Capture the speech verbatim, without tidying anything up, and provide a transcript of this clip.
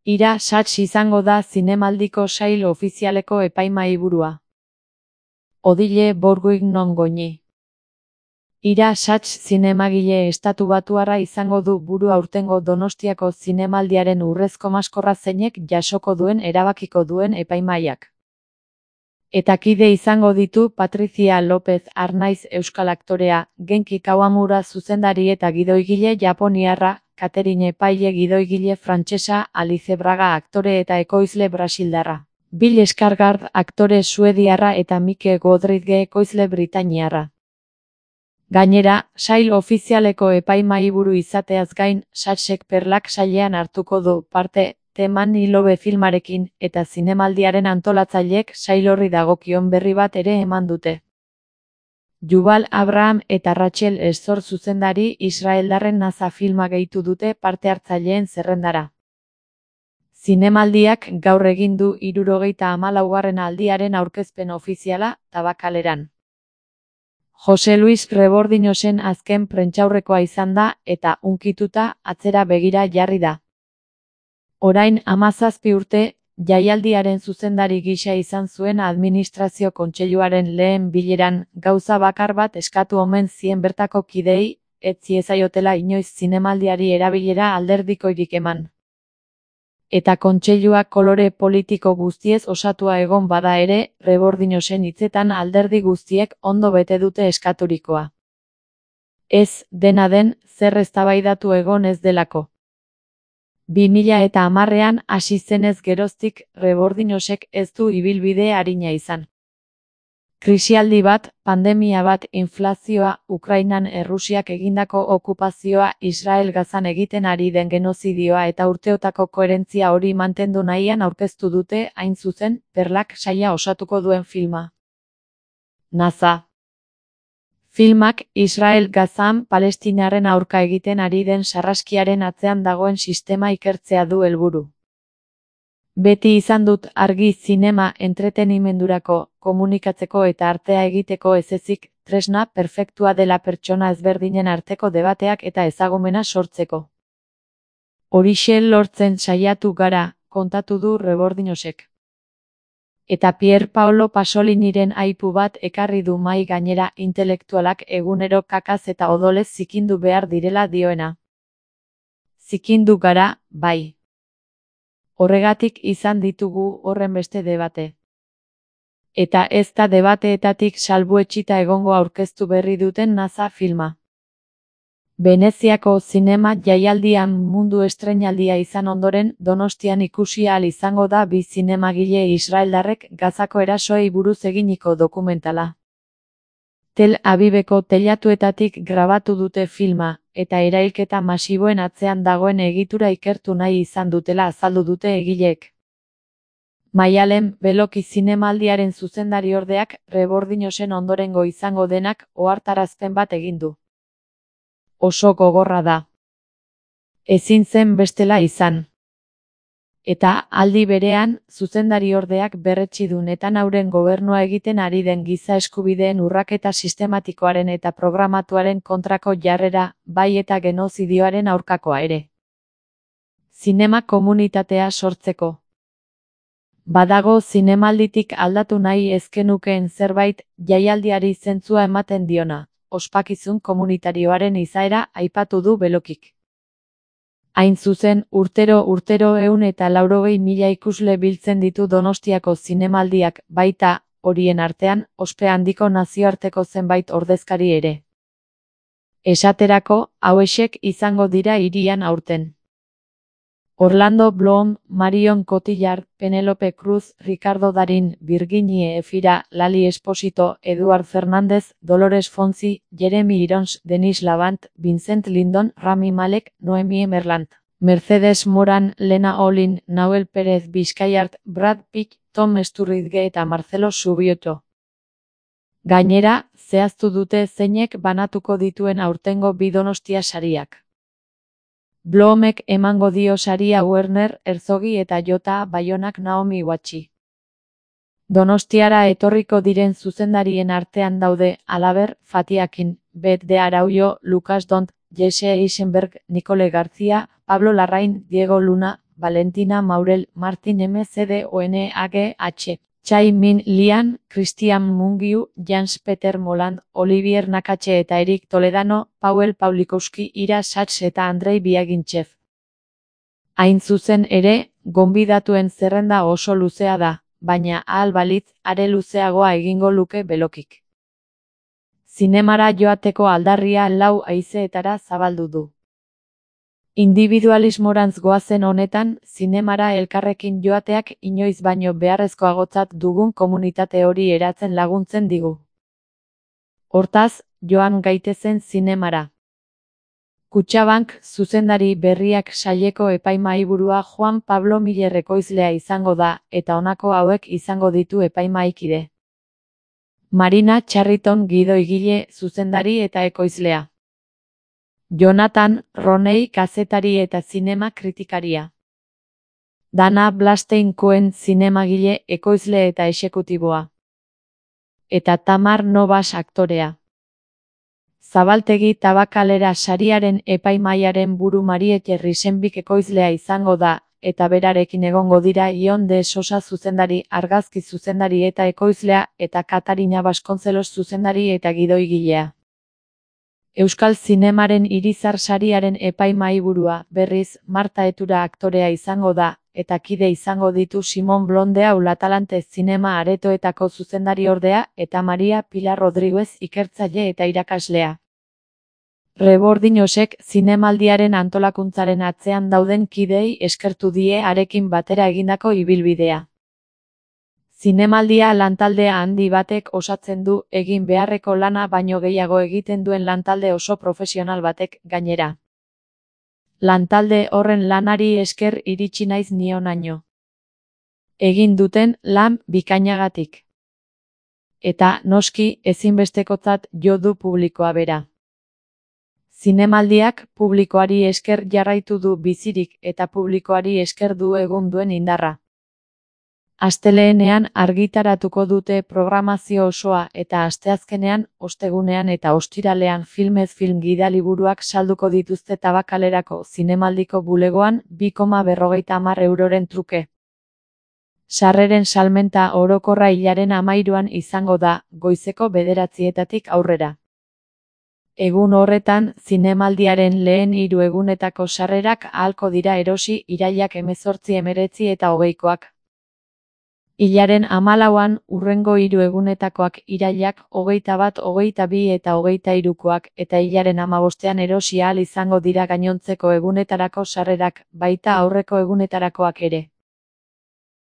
Ira Sachs izango da zinemaldiko sail ofizialeko epaimahiburua. Odile Bourguignon Goñi. Ira Sachs zinemagile estatubatuarra izango du buru aurtengo Donostiako zinemaldiaren urrezko maskorra zeinek jasoko duen erabakiko duen epaimahaiak. Eta kide izango ditu Patricia López Arnaiz euskal aktorea, Genki Kawamura zuzendari eta gidoigile japoniarra, Catherine Epaile gidoigile frantsesa, Alice Braga aktore eta ekoizle brasildarra, Bill Skarsgård aktore suediarra eta Mike Godrige ekoizle britainiarra. Gainera, sail ofizialeko epaimahiburu izateaz gain, Sachsek Perlak sailean hartuko du parte, The Man in Love filmarekin, eta zinemaldiaren antolatzaileek sail horri dagokion berri bat ere eman dute. Yuval Abraham eta Rachel Estor zuzendari israeldarren Naza filma gehitu dute parte hartzaileen zerrendara. Zinemaldiak gaur egin du hirurogeita hamalaugarren aldiaren aurkezpen ofiziala, Tabakaleran. Jose Luis Rebordinosen azken prentsaurrekoa izan da, eta hunkituta atzera begira jarri da. Orain hamazazpi urte, jaialdiaren zuzendari gisa izan zuen administrazio kontseiluaren lehen bileran, gauza bakar bat eskatu omen zien bertako kideei, ez ziezaiotela inoiz zinemaldiari erabilera alderdikoirik eman. Eta kontseiluak kolore politiko guztiez osatua egon bada ere, Rebordinosen hitzetan alderdi guztiek ondo bete dute eskaturikoa. Ez, dena den, zer eztabaidatu egon ez delako. bi mila eta hamarrean hasi zenez geroztik, Rebordinosek ez du ibilbide arina izan. Krisialdi bat, pandemia bat, inflazioa, Ukrainan Errusiak egindako okupazioa, Israel Gazan egiten ari den genozidioa eta urteotako koherentzia hori mantendu nahian aurkeztu dute, hain zuzen, Perlak saila osatuko duen filma. Naza. Filmak Israel Gazan Palestinaren aurka egiten ari den sarraskiaren atzean dagoen sistema ikertzea du helburu. Beti izan dut argi zinema entretenimendurako, komunikatzeko eta artea egiteko ez ezik, tresna perfektua dela pertsona ezberdinen arteko debateak eta ezagumena sortzeko. Horixe lortzen saiatu gara, kontatu du Rebordinosek. Eta Pier Paolo Pasoliniren aipu bat ekarri du mahai gainera intelektualak egunero kakaz eta odolez zikindu behar direla dioena. Zikindu gara, bai. Horregatik izan ditugu horren beste debate. Eta ez da debateetatik salbuetsita egongo aurkeztu berri duten Naza filma. Veneziako zinema jaialdian mundu estreinaldia izan ondoren, Donostian ikusi ahal izango da bi zinemagile israeldarrek Gazako erasoei buruz eginiko dokumentala. Tel Aviveko teilatuetatik grabatu dute filma, eta erailketa masiboen atzean dagoen egitura ikertu nahi izan dutela azaldu dute egileek. Maialen Beloki zinemaldiaren zuzendariordeak Rebordinosen ondorengo izango denak ohartarazpen bat egin du. Oso gogorra da. Ezin zen bestela izan. Eta, aldi berean, zuzendariordeak berretsi du Netanyahuren gobernua egiten ari den giza eskubideen urraketa sistematikoaren eta programatuaren kontrako jarrera, bai eta genozidioaren aurkakoa ere. Zinema komunitatea sortzeko. Badago zinemalditik aldatu nahi ezkenukeen zerbait, jaialdiari zentzua ematen diona. Ospakizun komunitarioaren izaera aipatu du Belokik. Hain zuzen, urtero urtero ehun eta laurogei mila ikusle biltzen ditu Donostiako zinemaldiak, baita, horien artean, ospe handiko nazioarteko zenbait ordezkari ere. Esaterako, hauexek izango dira hirian aurten. Orlando Bloom, Marion Cotillard, Penélope Cruz, Ricardo Darín, Virginie Efira, Lali Esposito, Eduard Fernández, Dolores Fonzi, Jeremy Irons, Denis Lavant, Vincent Lindon, Rami Malek, Noemi Emerland, Mercedes Moran, Lena Olin, Nahuel Pérez Bizkaiart, Brad Pitt, Tom Sturridge eta Marcelo Subioto. Gainera, zehaztu dute zeinek banatuko dituen aurtengo bi Donostia sariak. Bloomek emango dio saria Werner Herzogi eta Jota Baionak Naomi Watchi. Donostiara etorriko diren zuzendarien artean daude, halaber, Fatiakin, Bet de Araujo, Lucas Dont, Jesse Eisenberg, Nicole García, Pablo Larraín, Diego Luna, Valentina Maurel, Martin M C D O N A G H, Chai Min Lian, Christian Mungiu, Jans Peter Moland, Olivier Nakache eta Erik Toledano, Paul Pawlikowski, Ira Sachs eta Andrei Biagintxev. Hain zuzen ere, gonbidatuen zerrenda oso luzea da, baina ahal balitz, are luzeagoa egingo luke belokik. Zinemara joateko aldarria lau haizeetara zabaldu du. Individualismorantz goazen honetan, zinemara elkarrekin joateak inoiz baino beharrezkoagotzat dugun komunitate hori eratzen laguntzen digu. Hortaz, joan gaitezen zinemara. Kutxabank zuzendari berriak saileko epaimahaiburua Juan Pablo Miller ekoizlea izango da, eta honako hauek izango ditu epaimahaikide. Marina Charriton gidoigile, zuzendari eta ekoizlea. Jonathan Roney kazetari eta zinema kritikaria. Dana Blastein Cohen zinemagile, ekoizle eta exekutiboa. Eta Tamar Novas aktorea. Zabaltegi Tabakalera sariaren epaimahaiaren buru Mariette Risenbik ekoizlea izango da, eta berarekin egongo dira Ion de Sosa zuzendari, argazki zuzendari eta ekoizlea, eta Katarina Vasconcelos zuzendari eta gidoigilea. Euskal zinemaren Irizar sariaren epaimahaiburua, berriz, Marta Etura aktorea izango da, eta kide izango ditu Simon Blondea Ulatalante zinema aretoetako zuzendari ordea, eta Maria Pilar Rodriguez ikertzaile eta irakaslea. Rebordinosek zinemaldiaren antolakuntzaren atzean dauden kideei eskertu die harekin batera egindako ibilbidea. Zinemaldia lantaldea handi batek osatzen du, egin beharreko lana baino gehiago egiten duen lantalde oso profesional batek, gainera. Lantalde horren lanari esker iritsi naiz ni honaino. Egin duten lan bikainagatik. Eta, noski, ezinbestekotzat jo du publikoa bera. Zinemaldiak publikoari esker jarraitu du bizirik eta publikoari esker du egun duen indarra. Astelehenean argitaratuko dute programazio osoa eta asteazkenean, ostegunean eta ostiralean filmez film gidaliburuak salduko dituzte Tabakalerako zinemaldiko bulegoan bi koma berrogeita hamar euroren truke. Sarreren salmenta orokorra hilaren hamairuan izango da, goizeko bederatzietatik aurrera. Egun horretan, zinemaldiaren lehen hiru egunetako sarrerak ahalko dira erosi irailak hemezortzi hemeretzi eta hogeikoak. Hilaren hamalauan, hurrengo hiru egunetakoak irailak hogeita bat, hogeita bi eta hogeita hirukoak, eta hilaren hamabostean erosi ahal izango dira gainontzeko egunetarako sarrerak, baita aurreko egunetarakoak ere.